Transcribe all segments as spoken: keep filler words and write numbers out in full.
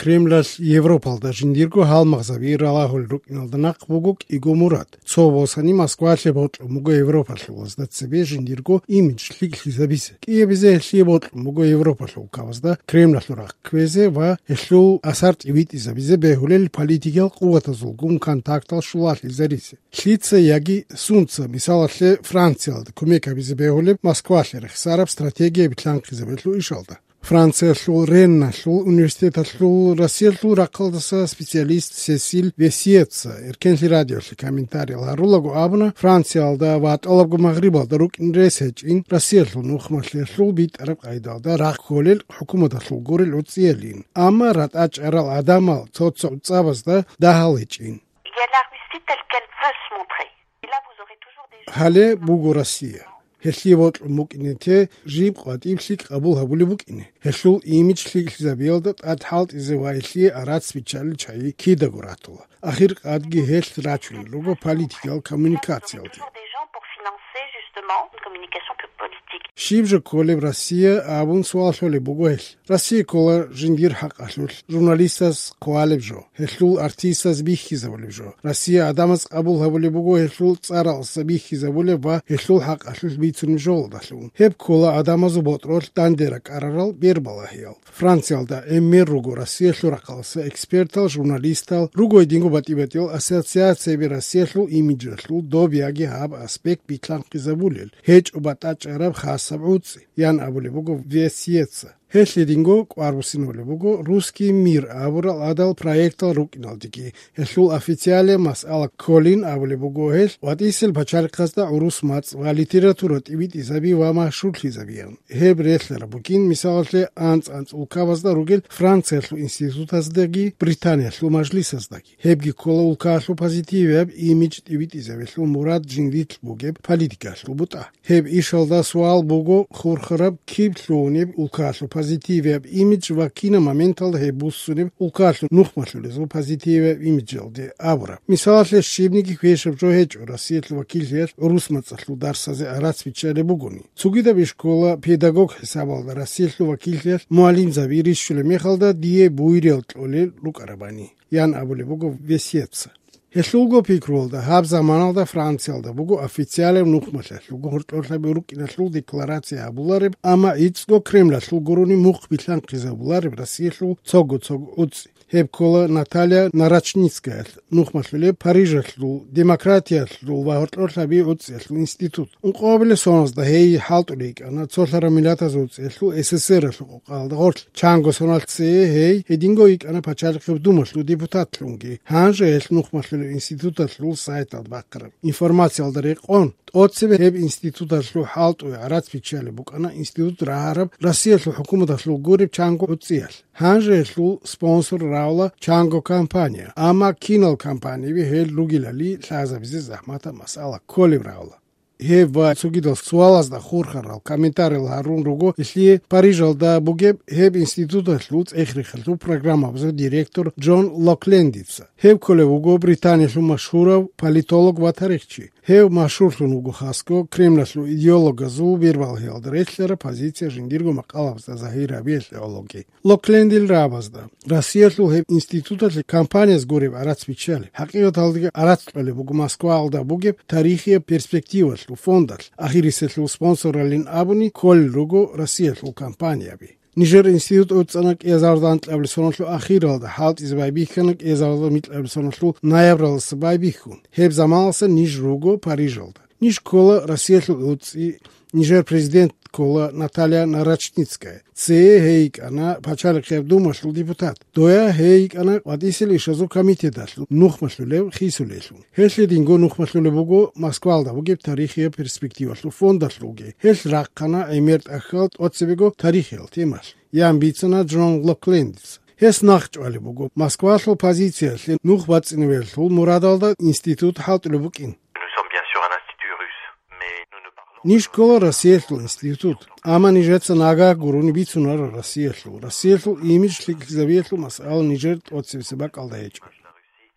Кремлалъ Европалда жиндирго гьалмагъзаби ралагьулел рукӀиналда нахъ буго кӀиго мурад. Цо босани Москвалъе бокьун буго европалъулазда цебе жиндирго имидж лъикӀлъизабизе. КӀиабизе гьелъие бокьун буго Европалъул улкабазда Кремлалъул рахъ кквезе ва гьелъул асар тӀибитӀизабизе бегьулел политикиял къуватазулгун контактал щулалъизаризе. Лъица яги сунца, мисалалъе, Франциялда кумек гьабизе бегьулеб Москвалъе рехсараб стратегия битлъанхъизабиялъул ишалда. Франциялъул Ренналъул университеталъул Россиялъул рахъалдаса специалист Сесиль Весиеца Эркенлъи радиолъе комментариял гьарулаго абуна, Франциялда ва тӀалабго Магърибалда рукӀин рес гьечӀин Россиялъул нухмалъиялъул битӀараб къайдалда рахъ кколел хӀукуматалъул гурел гӀуцӀиялин, амма ратӀа чӀарал гӀадамал цо-цо гӀуцӀабазда дагьал гьечӀин. Il y a la Russie telle qu'elle veut se montrer. Et là, vous aurez toujours des gens Гьале буго Россия. Гьелъие бокьун букӀине те жиб къватӀиб лъикӀ къабул гьабулеб букӀине. Гьелъул имидж лъикӀлъизабиялда тӀад хӀалтӀизе ва гьелъие арац биччалел чагӀи кидаго ратула. Ахир къадги гьелъ рачунел руго политикиял коммуникациялде. Toujours des gens pour financer, justement, une communication pu-, politique. Щиб жо кколеб Россия абун суал лъолеб буго гьелъ. Россия ккола жиндир хӀакъалъулъ журналистаз хъвалеб жо, гьелъул артистаз бихьизабулеб жо. Россия гӀадамаз къабул гьабулеб буго гьелъул цӀаралдаса бихьизабулеб ва гьелъул хӀакъалъулъ бицунеб жоялдалъун. Гьеб ккола гӀадамазул ботӀролъ данде ракӀарарал бербалагьиял. Франциялда гӀемер руго Россиялъул рахъалдаса экспертал, журналистал, руго гьединго батӀи-батӀиял ассоциацияби Россиялъул имиджалъул доб яги гьаб аспект битлъанхъизабулел, гьечӀо батӀа чӀараб хасаб гӀуцӀи, ян абулеб буго Весиеца. Гьелъ гьединго кӀвар буссинабулеб буго «Русский мир» абурал гӀадал проектал рукӀиналдеги. Гьелъул официалияб масъала кколин абулеб буго гьелъ ватӀисел пачалихъазда гӀурус мацӀ ва литература тӀибитӀизаби ва машгьурлъизабиян. Гьеб релълъараб бугин, мисалалъе, анцӀ-анцӀ улкабазда ругел Франциялъул институтаздаги Британиялъул мажлисаздаги. Гьебги ккола улкаялъул позитивияб имидж тӀибитӀизабиялъул мурад жиндилъ бугеб политикаялъул бутӀа. Гьеб ишалда суал буго хурхараб киб лъугьунеб улкаялъул позитивияб имидж ва кинаб моменталда гьеб буссунеб улкаялъул нухмалъулезул позитивияб имиджалде абураб. Мисалалъе, щибниги квешаб жо гьечӀо Россиялъул вакиллъиялъ гӀурус мацӀалъул дарсазе гӀарац биччалеб бугони. Цогидаб ишкола педагог хӀисабалда Россиялъул вакиллъиялъ мугӀалимзаби рищулеб мехалда дие буйриял кьолел рукӀарабани, ян абулеб буго Весиеца. Гьелъулго пикруялда, гьаб заманалда Франциялда буго официалаб нухмалъиялъулго гьоркьорлъаби рукӀиналъул декларация гьабулареб, амма гӀицӀго Кремлалъул гурони мухъ билълъанхъизабулареб Россиялъул цого-цого гӀуцӀи. Гьеб ккола Наталья Нарочницкаялъ нухмалъулеб Парижалъул демократиялъул ва гьоркьорлъаби гӀуцӀиялъул институт. Ункъоабилеб соналда гьей хӀалтӀулей йикӀана цолъараб миллатазул гӀуцӀиялъул СССР-алъул къокъалда гъорлъ. Чанго соналъ цее гьей гьединго йикӀана Пачалихъеб Думалъул депутатлъунги. Гьанже гьелъ нухмалъулеб институталъул сайталда бахъараб информациялда рекъон, тӀоцебе гьеб институталъул хӀалтӀуе гӀарац биччалеб букӀана институт рагьараб Россиялъул хӀукуматалъул гуреб чанго гӀуцӀиялъ. Гьанже гьелъул спонсор равла чанго компания, амма кинал компаниаби гьел ругелали лъазабизе захӀматаб масъала кколеб равла. Гьеб ва цогидал суалазда хурхарал комментариял гьарун руго гьелъие Парижалда бугеб гьеб институталъул цӀех-рехалъул программабазул директор Джон Локлендица. Гьев кколев вуго Британиялъул машгьурав политолог ва тарихчи. Гьев машгьурлъун вуго хасго Кремлалъул идеологазул бирбалгьиялда релълъараб позиция жиндирго макъалабазда загьир гьабиялъе гӀологи. Локлендил рагӀабазда Россиялъул гьеб институталъе компанияз гуреб гӀарац биччалеб, хӀакъикъаталдаги гӀарац кьолеб буго Москваялда бугеб тарихияб перспективалъул фондалъ, ахириселъул спонсоралин абуни кколел руго Россиялъул компанияби. Нижер институт гӀуцӀана кӀиазарда анкьабилеб соналъул ахиралда, хӀалтӀизе байбихьана кӀиазарда микьабилеб соналъул ноябралдаса байбихьун. Гьеб заманалдаса ниж руго Парижалда. Ниж ккола Россиялъул гӀуцӀи, нижер президент ккола Наталья Нарочницкая. Цее гьей йикӀана Пачалихъеб Думалъул депутат. Доя гьей йикӀана ВатӀисел ишазул комитеталъул нухмалъулев хисулелъун. Гьелъ гьединго нухмалъулеб буго Москвалда бугеб тарихияб перспективалъул фондалъулги. Гьелъ рахъана гӀемер тӀахьал тӀоцебего тарихиял темалъ, ян бицана Джон Локлендица. Гьес нахъчӀвалеб буго Москвалъул позициялъе нух бацӀцӀинабиялъул мурадалда институт хӀалтӀулеб букӀин. Nous sommes bien sûr un institut russe, mais nous ne parlons Ниж ккола Россиялъул институт, амма нижеца нагагь гурони бицунара Россиялъул. Россиялъул имидж лъикӀлъизабиялъул масъала нижер тӀоцебесеб бакӀалда гьечӀо.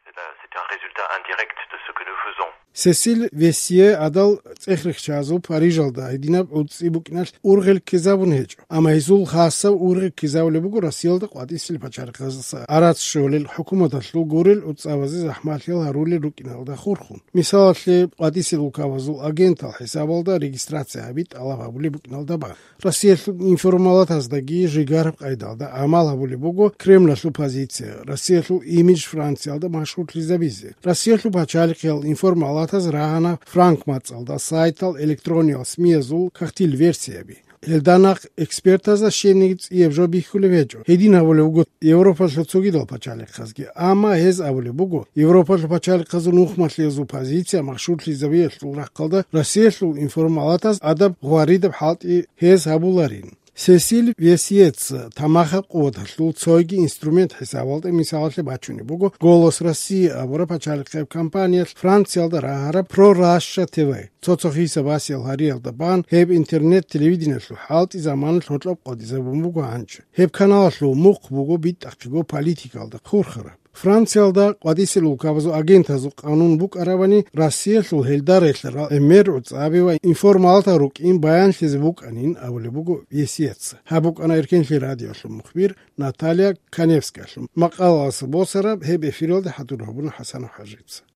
C'est un, c'est un résultat indirect de ce que nous faisons. Сесиль Вессие гӀадал цӀех-рехчазул Парижалда гьединаб гӀуцӀи букӀиналъ ургъел ккезабун гьечӀо, амма гьезул хасаб ургъи ккезабулеб буго Россиялда къватӀисел пачалихъаздаса гӀарац щолел хӀукуматалъул гурел гӀуцӀабазе захӀмалъиял гьарулел рукӀиналда хурхун. Мисалалъе, къватӀисел улкабазул агентал хӀисабалда регистрация гьаби тӀалаб гьабулеб букӀиналда бан. Россиялъул информалатаздаги жигараб къайдалда гӀамал гьабулеб буго Кремлалъул позиция, Россиялъул имидж Франциялда машгьурлъизабизе. Россиялъул пачалихъиял информалатаз рагьана Франк мацӀалда сайтал электрониял смиязул кагътил версияби. Гьелда нахъ экспертазда щенниги цӀияб жо бихьулеб гьечӀо. Гьедин гьабулеб буго Европалъул цогидал пачалихъазги. Амма гьез абулеб буго, Европалъул пачалихъазул нухмалъиязул позиция машгьурлъизабиялъул рахъалда Россиялъул информалатаз адаб гъваридаб хӀалтӀи гьез гьабуларин. Сесиль Весиец тамахаб къуваталъул цойги инструмент хӀисабалда мисалалъе бачунеб буго «Голос России» абураб пачалихъеб компаниялъ Франциялда рагьараб «Про Раша Т В». Цо-цо хиса-басиял гьариялда бан гьеб интернет-телевидениялъул хӀалтӀи заманалъ гьоркьоб къотӀизабун буго гьанже. Гьеб каналалъул мухъ буго битӀахъего политикалда хурхараб. Франциялда къватӀисел улкабазул агентазул къанун букӀарабани, Россиялъул гьелда релълъарал гӀемер гӀуцӀаби ва информалатал рукӀин баянлъизе букӀанин абулеб буго Весиец. Гьаб букӀана Эркенлъи радиолъул мухбир Наталья Каневскаялъул макъалаялъ босараб, гьеб эфиралда хӀадур гьабуна ХӀасанов ХӀажица.